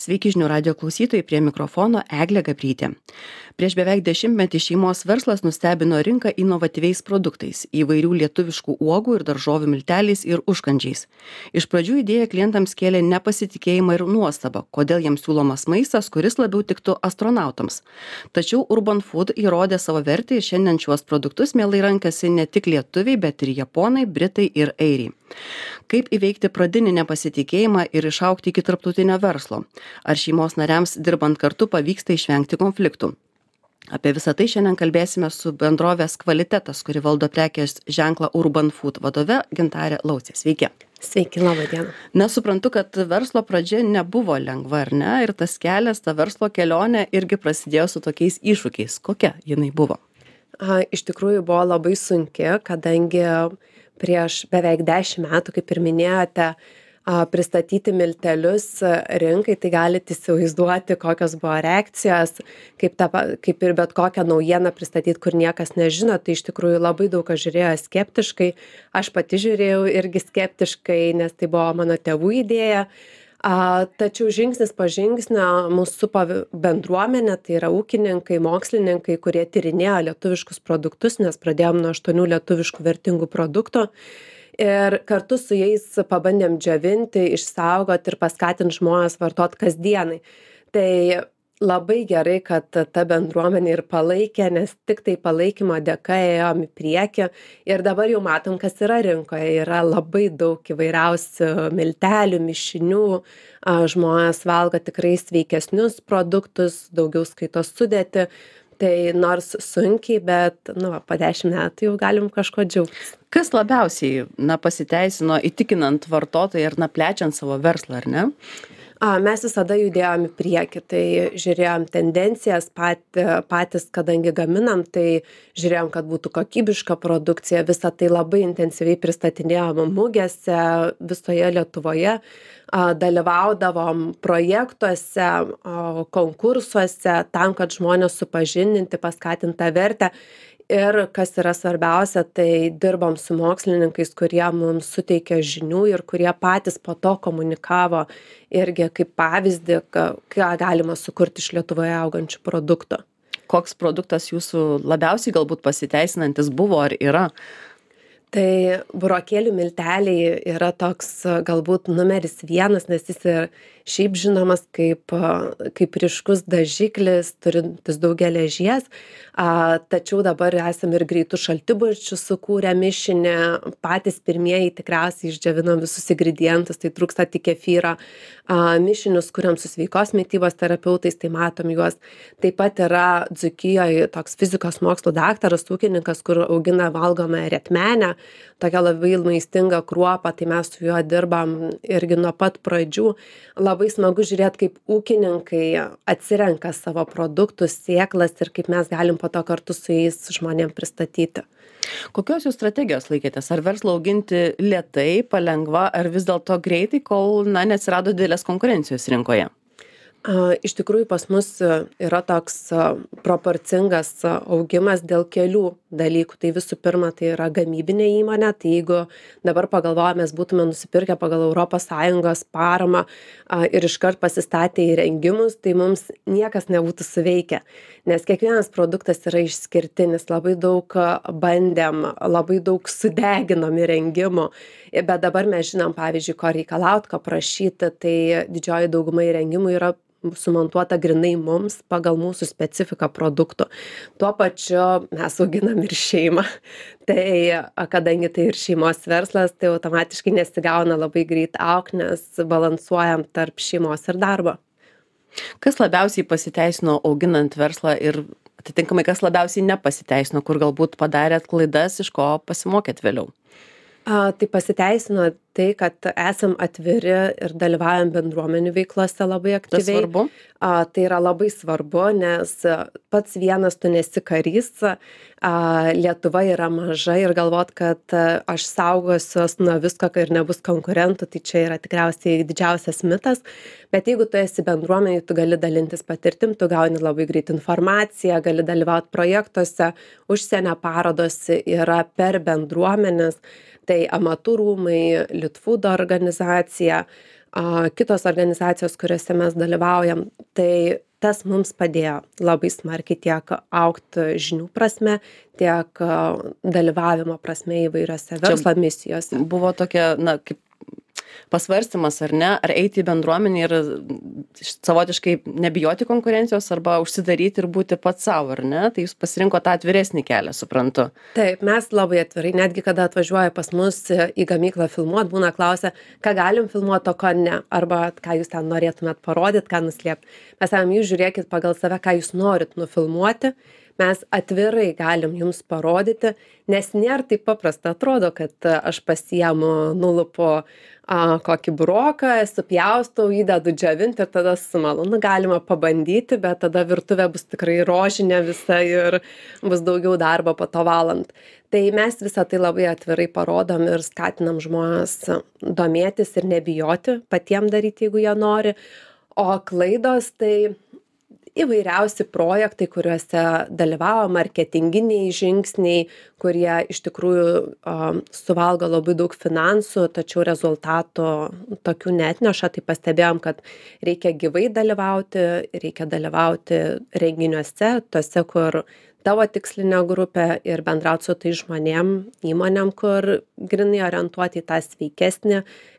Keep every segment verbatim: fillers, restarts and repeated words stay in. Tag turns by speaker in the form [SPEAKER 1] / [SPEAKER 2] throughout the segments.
[SPEAKER 1] Sveiki žinių radio klausytojai, prie mikrofono Eglė Gabrytė. Prieš beveik dešimtmetį šeimos verslas nustebino rinką inovatyviais produktais - įvairių lietuviškų uogų ir daržovių milteliais ir užkandžiais. Iš pradžių idėja klientams kėlė nepasitikėjimą ir nuostabą, kodėl jiems siūlomas maistas, kuris labiau tiktų astronautams. Tačiau Urban Food įrodė savo vertę ir šiandien šiuos produktus mielai rankasi ne tik lietuviai, bet ir japonai, britai ir airiai. Kaip įveikti pradinį nepasitikėjimą ir išaugti iki tarptautinio verslo? Ar šeimos nariams dirbant kartu pavyksta išvengti konfliktų? Apie visą tai šiandien kalbėsime su bendrovės Kvalitetas, kuri valdo prekės ženklą Urban Food vadove Gintarė Laucė. Sveiki.
[SPEAKER 2] Sveiki, laba diena.
[SPEAKER 1] Nesuprantu, kad verslo pradžia nebuvo lengva, ar ne? Ir tas kelias, ta verslo kelionė irgi prasidėjo su tokiais iššūkiais. Kokia jinai buvo?
[SPEAKER 2] A, iš tikrųjų buvo labai sunki, kadangi prieš beveik dešimt metų, kaip ir minėjote, a, pristatyti miltelius rinkai, tai galite įsivaizduoti, kokios buvo reakcijos, kaip, ta, kaip ir bet kokią naujieną pristatyti, kur niekas nežino, tai iš tikrųjų labai daug kas žiūrėjo skeptiškai, aš pati žiūrėjau irgi skeptiškai, nes tai buvo mano tėvų idėja. A, tačiau žingsnis po žingsnio mūsų supa bendruomenė, tai yra ūkininkai, mokslininkai, kurie tyrinėjo lietuviškus produktus, nes pradėjom nuo aštuonių lietuviškų vertingų produktų. Ir kartu su jais pabandėm džiovinti, išsaugoti ir paskatinti žmonės vartoti kasdienai. Tai labai gerai, kad ta bendruomenė ir palaikė, nes tik tai palaikymo dėka ėjom į priekį. Ir dabar jau matom, kas yra rinkoje. Yra labai daug įvairiausių miltelių, mišinių. Žmonės valgo tikrai sveikesnius produktus, daugiau skaito sudėti. Tai nors sunkiai, bet nu, po dešimt metų jau galim kažko džiaugtis.
[SPEAKER 1] Kas labiausiai na, pasiteisino įtikinant vartotoją ir na, plečiant savo verslą, ar ne?
[SPEAKER 2] A, mes visada judėjom į priekį, tai žiūrėjom tendencijas pat, patys, kadangi gaminam, tai žiūrėjom, kad būtų kokybiška produkcija, visą tai labai intensyviai pristatinėjom mugėse visoje Lietuvoje, a, dalyvaudavom projektuose, a, konkursuose, tam, kad žmonės supažindinti, paskatinti tą vertę. Ir kas yra svarbiausia, tai dirbam su mokslininkais, kurie mums suteikia žinių ir kurie patys po to komunikavo irgi kaip pavyzdį, ką galima sukurti iš Lietuvoje augančių produktų.
[SPEAKER 1] Koks produktas jūsų labiausiai galbūt pasiteisinantis buvo ar yra?
[SPEAKER 2] Tai burokėlių milteliai yra toks galbūt numeris vienas, nes jis ir šiaip žinomas kaip, kaip ryškus dažiklis, turintis daug geležies. A, tačiau dabar esame ir greitų šaltibarščių sukūrę mišinį, patys pirmieji tikriausiai išdžiovinom visus ingredientus, tai trūksta tik kefyro. A, mišinius kuriam su sveikos mitybos terapeutais, tai matom juos. Taip pat yra Dzūkijoje toks fizikos mokslų daktaras, ūkininkas, kur augina valgomą retmenę, tokia labai maistinga kruopa, tai mes su juo dirbam irgi nuo pat pradžių. Labai smagu žiūrėti, kaip ūkininkai atsirenka savo produktus, sėklas ir kaip mes galim po to kartu su jais žmonėm pristatyti.
[SPEAKER 1] Kokios jūs strategijos laikėtės? Ar verslą auginti lėtai, palengva, ar vis dėlto greitai, kol na, neatsirado didelės konkurencijos rinkoje?
[SPEAKER 2] Iš tikrųjų pas mus yra toks proporcingas augimas dėl kelių dalykų. Tai visų pirma, tai yra gamybinė įmonė. Tai jeigu dabar pagalvojame, mes būtume nusipirkę pagal Europos Sąjungos paramą ir iškart pasistatę įrengimus, tai mums niekas nebūtų suveikę. Nes kiekvienas produktas yra išskirtinis. Labai daug bandėm, labai daug sudeginom įrengimų. Bet dabar mes žinom, pavyzdžiui, ko reikalauti, ko prašyti. Tai didžioji dauguma įrengimų yra sumontuota grinai mums pagal mūsų specifiką produktų. Tuo pačiu mes auginam ir šeimą. Tai kadangi tai ir šeimos verslas, tai automatiškai nesigauna labai greit auk, nes balansuojam tarp šeimos ir darbo.
[SPEAKER 1] Kas labiausiai pasiteisino auginant verslą ir atitinkamai kas labiausiai nepasiteisino, kur galbūt padarėt klaidas, iš ko pasimokėt vėliau?
[SPEAKER 2] A, tai pasiteisino tai, kad esam atviri ir dalyvaujam bendruomenių veiklose labai aktyviai.
[SPEAKER 1] Tas svarbu?
[SPEAKER 2] A, tai yra labai svarbu, nes pats vienas tu nesi karys. A, Lietuva yra maža ir galvot, kad aš saugosiuos nuo visko, kai ir nebus konkurentų, tai čia yra tikriausiai didžiausias mitas. Bet jeigu tu esi bendruomenėje, tu gali dalintis patirtim, tu gauni labai greit informaciją, gali dalyvauti projektuose, užsienio parodos yra per bendruomenes. Tai amatų rūmai, Litfoodo organizacija, a, kitos organizacijos, kuriuose mes dalyvaujam. Tai tas mums padėjo labai smarkiai tiek augti žinių prasme, tiek a, dalyvavimo prasme įvairiose verslo misijose.
[SPEAKER 1] Buvo tokia, na, kaip pasvarstymas, ar ne, ar eiti į bendruomenę ir savotiškai nebijoti konkurencijos arba užsidaryti ir būti pats savo, ar ne? Tai jūs pasirinko tą atviresnį kelią, suprantu.
[SPEAKER 2] Taip, mes labai atvirai, netgi kada atvažiuoja pas mus į gamyklą filmuot, būna klausia, ką galim filmuoti, o ko ne, arba ką jūs ten norėtumėt parodyti, ką nuslėpti. Mes sakėm, jūs žiūrėkit pagal save, ką jūs norit nufilmuoti, mes atvirai galim jums parodyti, nes nėra taip paprasta. Atrodo, kad aš pasiemu, nulupu a, kokį buroką, supjaustau, įdedu džiovinti ir tada sumalu. Nu, galima pabandyti, bet tada virtuvė bus tikrai rožinė visa ir bus daugiau darbo po to valant. Tai mes visą tai labai atvirai parodom ir skatinam žmonės domėtis ir nebijoti patiem daryti, jeigu jie nori. O klaidos tai įvairiausi projektai, kuriuose dalyvavo, marketinginiai žingsniai, kurie iš tikrųjų um, suvalgo labai daug finansų, tačiau rezultatų tokių neatneša. Tai pastebėjom, kad reikia gyvai dalyvauti, reikia dalyvauti renginiuose, tose, kur tavo tikslinė grupė ir bendrauti su tai žmonėm, įmonėm, kur grinai orientuoti į tą sveikesnį,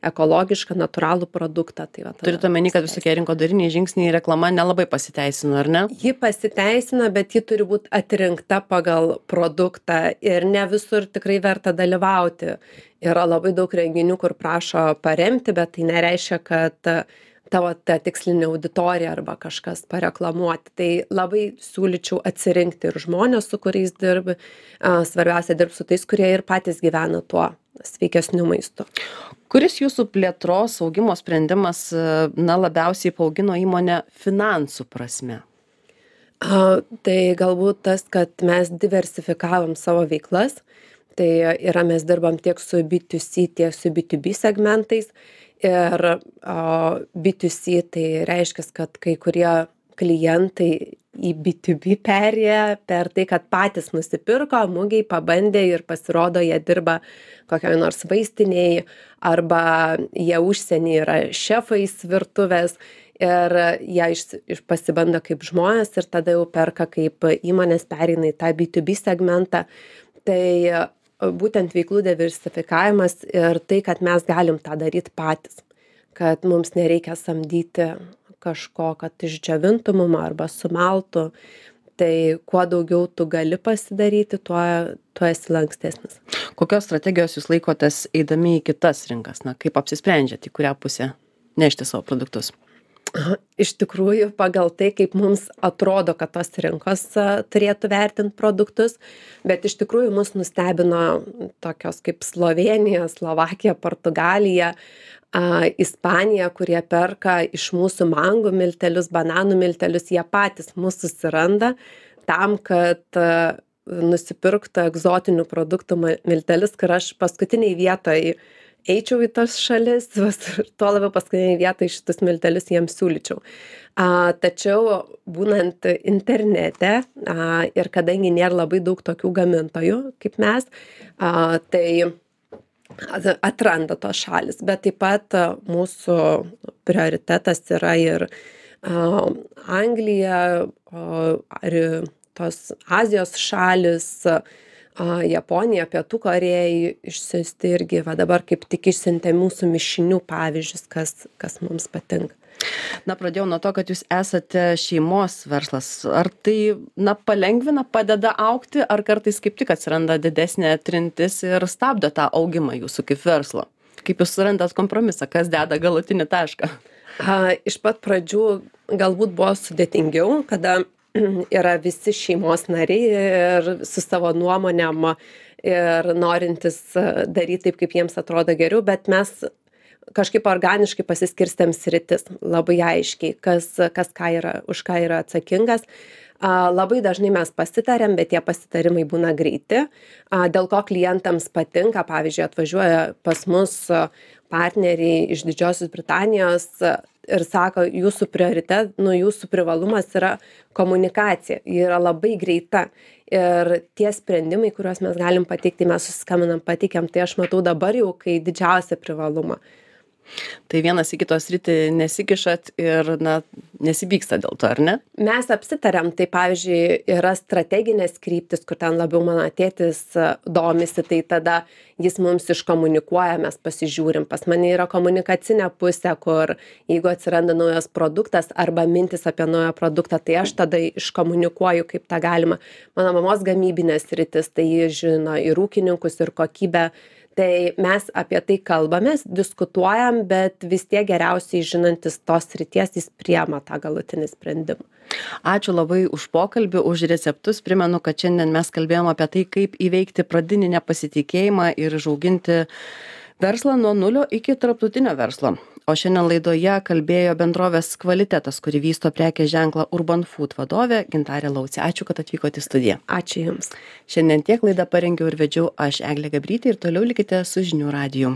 [SPEAKER 2] ekologišką, natūralų produktą. Tai va,
[SPEAKER 1] turite omeny, kad visokie rinkodariniai žingsniai reklama nelabai pasiteisino, ar ne?
[SPEAKER 2] Ji pasiteisina, bet ji turi būti atrinkta pagal produktą ir ne visur tikrai verta dalyvauti. Yra labai daug renginių, kur prašo paremti, bet tai nereiškia, kad tavo ta tikslinė auditorija arba kažkas pareklamuoti. Tai labai siūlyčiau atsirinkti ir žmonės, su kuriais dirbi. Svarbiausia dirbti su tais, kurie ir patys gyvena tuo sveikesniu maistu.
[SPEAKER 1] Kuris jūsų plėtros augimo sprendimas na, labiausiai paaugino įmonę finansų prasme?
[SPEAKER 2] A, tai galbūt tas, kad mes diversifikavom savo veiklas. Tai yra, mes dirbam tiek su B du C, tiek su B du B segmentais. Ir o, B du C tai reiškia, kad kai kurie klientai į B du B perėjo per tai, kad patys nusipirko, mugiai pabandė ir pasirodo, jie dirba kokioj nors vaistiniai arba jie užsienį yra šefais virtuvės ir jie iš, iš pasibando kaip žmonės ir tada jau perka kaip įmonės pereina į tą B du B segmentą. Tai būtent veiklų diversifikavimas ir tai, kad mes galim tą daryti patys, kad mums nereikia samdyti kažko, kad išdžiovintų mum arba sumaltų. Tai kuo daugiau tu gali pasidaryti, tuo, tuo esi lankstesnis.
[SPEAKER 1] Kokios strategijos jūs laikotės eidami į kitas rinkas? Na, kaip apsisprendžiate, į kurią pusę nešti savo produktus?
[SPEAKER 2] Iš tikrųjų, pagal tai, kaip mums atrodo, kad tos rinkos turėtų vertinti produktus, bet iš tikrųjų mus nustebino tokios kaip Slovenija, Slovakija, Portugalija, a, Ispanija, kurie perka iš mūsų mangų miltelius, bananų miltelius, jie patys mūsų susiranda tam, kad a, nusipirktų egzotinių produktų miltelius, kur aš paskutiniai vietoj eičiau į tas šalis, tuo labiau paskutiniai vietai šitus miltelius jiems siūlyčiau. A, tačiau būnant internete a, ir kadangi nėra labai daug tokių gamintojų kaip mes, a, tai atranda tos šalis, bet taip pat a, mūsų prioritetas yra ir a, Anglija, a, ar tos Azijos šalis, A, Japonija, Pietų Korėja išsiųsti irgi, va dabar kaip tik išsiuntė mūsų mišinių pavyzdžius, kas, kas mums patinka.
[SPEAKER 1] Na, pradėjau nuo to, kad jūs esate šeimos verslas. Ar tai, na, palengvina, padeda augti, ar kartais kaip tik atsiranda didesnė trintis ir stabdo tą augimą jūsų kaip verslo? Kaip jūs surandat kompromisą, kas deda galutinį tašką?
[SPEAKER 2] A, iš pat pradžių galbūt buvo sudėtingiau, kada yra visi šeimos nariai ir su savo nuomonėm ir norintis daryti taip, kaip jiems atrodo geriau, bet mes kažkaip organiškai pasiskirstėm sritis labai aiškiai, kas, kas ką yra, už ką yra atsakingas. A, labai dažnai mes pasitarėm, bet tie pasitarimai būna greiti. A, dėl ko klientams patinka, pavyzdžiui, atvažiuoja pas mus partneriai iš Didžiosios Britanijos ir sako, jūsų prioritet, nu, jūsų privalumas yra komunikacija, ji yra labai greita ir tie sprendimai, kuriuos mes galim pateikti, mes susiskambinam, pateikiam, tai aš matau dabar jau, kai didžiausią privalumą.
[SPEAKER 1] Tai vienas į kitos sritį nesikišat ir, na, nesipyksta dėl to, ar ne?
[SPEAKER 2] Mes apsitarėm, tai pavyzdžiui, yra strateginės kryptis, kur ten labiau mano tėtis domisi, tai tada jis mums iškomunikuoja, mes pasižiūrim. Pas mane yra komunikacinė pusė, kur jeigu atsiranda naujas produktas arba mintis apie naują produktą, tai aš tada iškomunikuoju, kaip tą galima. Mano mamos gamybinės sritis, tai ji žino ir ūkininkus, ir kokybę. Tai mes apie tai kalbamės, diskutuojam, bet vis tiek geriausiai žinantis tos srities jis priema tą galutinį sprendimą.
[SPEAKER 1] Ačiū labai už pokalbį, už receptus. Primenu, kad šiandien mes kalbėjom apie tai, kaip įveikti pradinį nepasitikėjimą ir užauginti verslą nuo nulio iki tarptautinio verslo. O šiandien laidoje kalbėjo bendrovės Kvalitetas, kuri vysto prekės ženklą Urban Food vadovė Gintarė Laucė. Ačiū, kad atvykote į studiją.
[SPEAKER 2] Ačiū Jums.
[SPEAKER 1] Šiandien tiek laidą parengiau ir vedžiau aš, Eglė Gabrytė, ir toliau likite su žinių radiju.